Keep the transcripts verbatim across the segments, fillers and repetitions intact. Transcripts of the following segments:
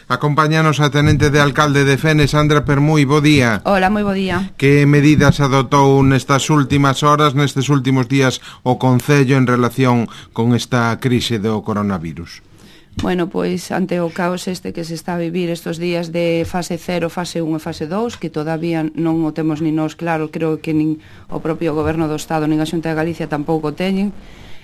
Acompáñanos a tenente de alcalde de Fene, Sandra Permui, bo día. Hola, moi bo día. Que medidas adotou nestas últimas horas, nestes últimos días, o Concello en relación con esta crise do coronavirus? Bueno, pois ante o caos este que se está a vivir estes días de fase cero, fase un e fase dous, que todavía non o temos ni nós claro, creo que nin o propio Goberno do Estado nin a Xunta de Galicia tampouco teñen.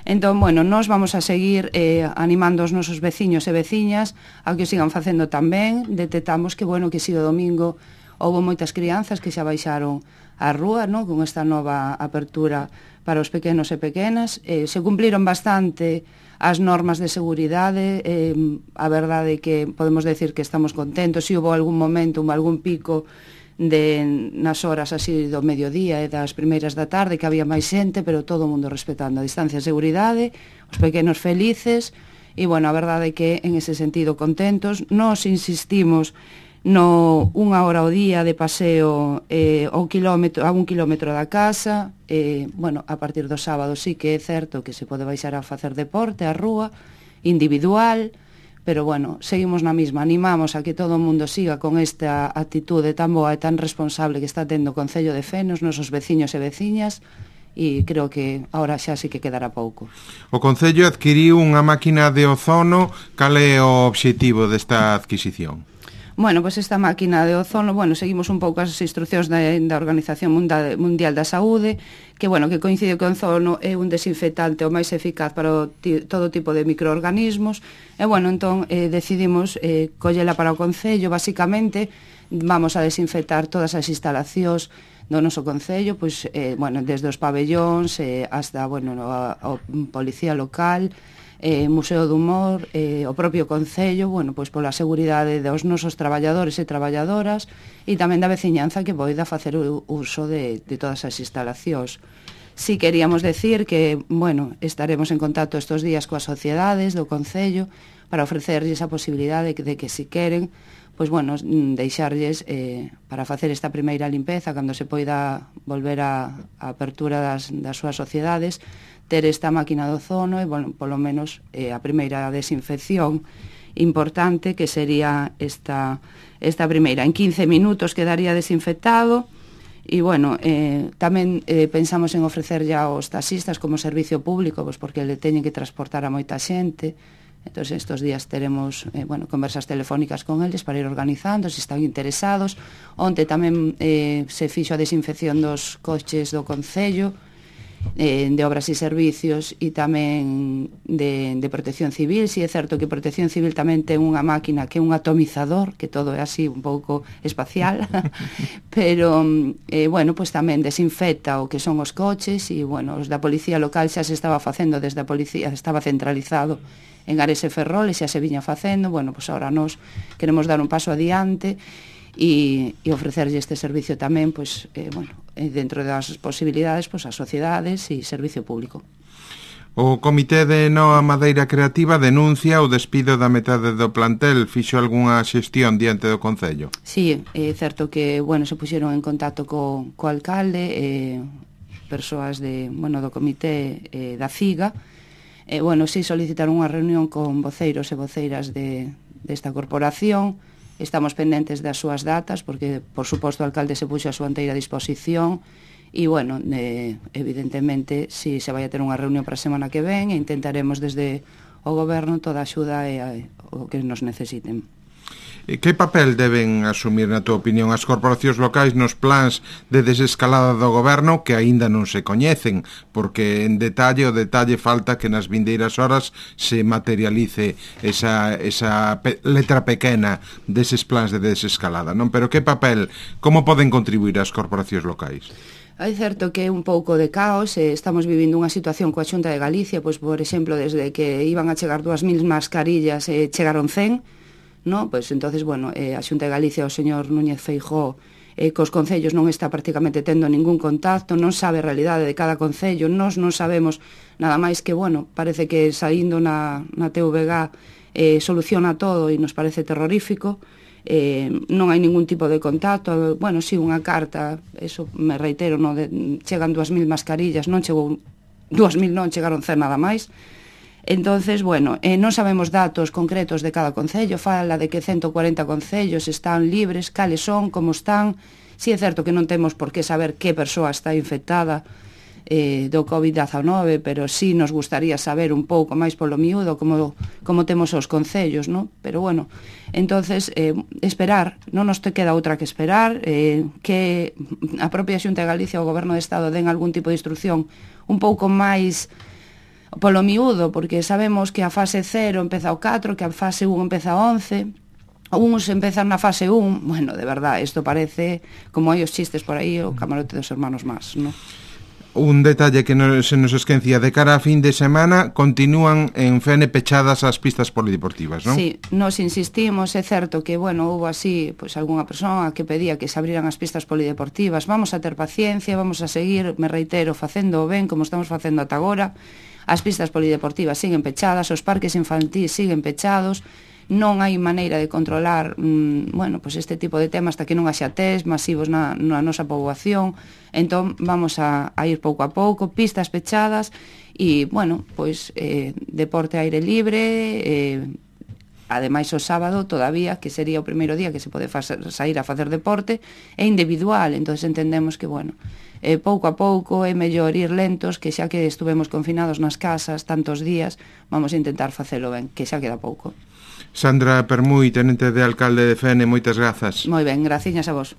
Entón, bueno, nós vamos a seguir eh, animando os nosos veciños e veciñas a que o sigan facendo tamén. Detectamos que, bueno, que si o domingo houve moitas crianzas que xa baixaron á rúa, no? Con esta nova apertura para os pequenos e pequenas. Eh, se cumpliron bastante as normas de seguridade, eh, a verdade é que podemos decir que estamos contentos. Si houve algún momento, algún pico de nas horas así do mediodía e das primeiras da tarde que había máis xente, pero todo o mundo respetando a distancia de seguridade, os pequenos felices, e, bueno, a verdade é que en ese sentido contentos. Nos insistimos no unha hora ao día de paseo eh, ao kilómetro, a un kilómetro da casa. Eh, bueno, a partir do sábado sí que é certo que se pode baixar a facer deporte á rúa, individual, pero, bueno, seguimos na mesma. Animamos a que todo o mundo siga con esta actitude tan boa e tan responsable que está tendo o Concello de Fene, os nosos veciños e veciñas, e creo que ahora xa sí que quedará pouco. O Concello adquiriu unha máquina de ozono. Cal é o obxectivo desta adquisición? Bueno, pois esta máquina de ozono, bueno, seguimos un pouco as instruccións da, da Organización Mundial da Saúde, que, bueno, que coincide que o ozono é un desinfectante o máis eficaz para o ti, todo tipo de microorganismos, e, bueno, entón eh, decidimos eh, collela para o Concello. Basicamente, vamos a desinfectar todas as instalacións do noso Concello, pois, eh, bueno, desde os pabellóns eh, hasta, bueno, a, a Policía Local, eh, Museo do Humor, eh, o propio Concello, bueno, pois pola seguridade dos nosos traballadores e traballadoras e tamén da veciñanza que poida facer o uso de, de todas as instalacións. Si queríamos decir que, bueno, estaremos en contacto estes días coas sociedades do Concello para ofrecerlles a posibilidade de que, de que si queren, pois, bueno, deixarlles eh, para facer esta primeira limpeza cando se poida volver a, a apertura das, das súas sociedades, ter esta máquina de ozono e, bueno, polo menos eh, a primeira desinfección importante, que sería esta, esta primeira. En quince minutos quedaría desinfectado e, bueno, eh, tamén eh, pensamos en ofrecer ya aos taxistas como servicio público, pois porque le teñen que transportar a moita xente. Entón, estes días teremos eh, bueno, conversas telefónicas con eles para ir organizando, se están interesados. Onte tamén eh, se fixo a desinfección dos coches do Concello, eh, de obras e servicios, e tamén de, de protección civil. Si é certo que protección civil tamén ten unha máquina que é un atomizador, que todo é así un pouco espacial, pero, eh, bueno, pues tamén desinfecta o que son os coches, e, bueno, os da Policía Local xa se estaba facendo desde a Policía, estaba centralizado en Ares e Ferrol e xa se viña facendo. Bueno, pues ahora nós queremos dar un paso adiante e, e ofrecerlle este servicio tamén, pues, eh, bueno, dentro das posibilidades, pues, as sociedades e servicio público. O Comité de Noa Madeira Creativa denuncia o despido da metade do plantel. Fixo algunha xestión diante do Concello? Sí, é certo que, bueno, se puxeron en contacto co, co alcalde, eh, persoas de, bueno, do Comité eh, da CIGA. Eh, bueno, si solicitaron unha reunión con voceiros e voceiras de, desta corporación. Estamos pendentes das súas datas, porque, por suposto, o alcalde se puxo a súa inteira disposición, e, bueno, eh, evidentemente, si se vai a ter unha reunión para a semana que ven, e intentaremos desde o Goberno toda a axuda e a, o que nos necesiten. Que papel deben asumir, na túa opinión, as corporacións locais nos plans de desescalada do Goberno que aínda non se coñecen? Porque en detalle, o detalle falta que nas vindeiras horas se materialice esa, esa pe letra pequena deses plans de desescalada, non? Pero que papel, como poden contribuir as corporacións locais? É certo que é un pouco de caos, eh, estamos vivindo unha situación coa Xunta de Galicia, pois, por exemplo, desde que iban a chegar dúas mil mascarillas, eh, chegaron cen, no? Pois, entonces, bueno, eh, a Xunta de Galicia, o señor Núñez Feijóo, eh, cos concellos non está prácticamente tendo ningún contacto, non sabe a realidade de cada concello, nós non sabemos nada máis que, bueno, parece que saindo na, na T V G eh, soluciona todo e nos parece terrorífico. Eh, non hai ningún tipo de contacto. Bueno, si, sí, unha carta, eso me reitero, no, de, chegan dúas mil mascarillas, non chegou dúas mil, non chegaron cen nada máis. Entonces, bueno, eh, non sabemos datos concretos de cada concello, fala de que ciento cuarenta concellos están libres, cales son, como están. Si é certo que non temos por que saber que persoa está infectada eh, do covid dezanove, pero sí nos gustaría saber un pouco máis polo miúdo como, como temos os concellos, ¿no? Pero bueno, entonces eh, esperar, non nos te queda outra que esperar, eh, que a propia Xunta de Galicia ou o Goberno de Estado den algún tipo de instrucción un pouco máis polo miúdo, porque sabemos que a fase cero empeza o catro, que a fase un empeza o once, uns empezan na fase un, bueno, de verdad, isto parece como hai os chistes por aí, o camarote dos hermanos más, ¿no? Un detalle que no, se nos esquencía, de cara a fin de semana continúan en Fene pechadas as pistas polideportivas, non? Sí, nos insistimos, é certo que, bueno, houve así, pois, algunha persoa que pedía que se abriran as pistas polideportivas. Vamos a ter paciencia, vamos a seguir, me reitero, facendo ben, como estamos facendo ata agora. As pistas polideportivas siguen pechadas, os parques infantís siguen pechados, non hai maneira de controlar mmm, bueno, pues este tipo de temas hasta que non haxa test masivos na, na nosa poboación. Entón vamos a, a ir pouco a pouco, pistas pechadas e, bueno, pois eh, deporte aire libre, eh, ademais o sábado todavía, que sería o primeiro día que se pode facer, sair a facer deporte, é individual, entonces entendemos que, bueno, eh, pouco a pouco é mellor ir lentos, que xa que estuvemos confinados nas casas tantos días, vamos a intentar facelo ben, que xa queda pouco. Sandra Permui, tenente de alcalde de Fene, moitas grazas. Moi ben, graciñas a vos.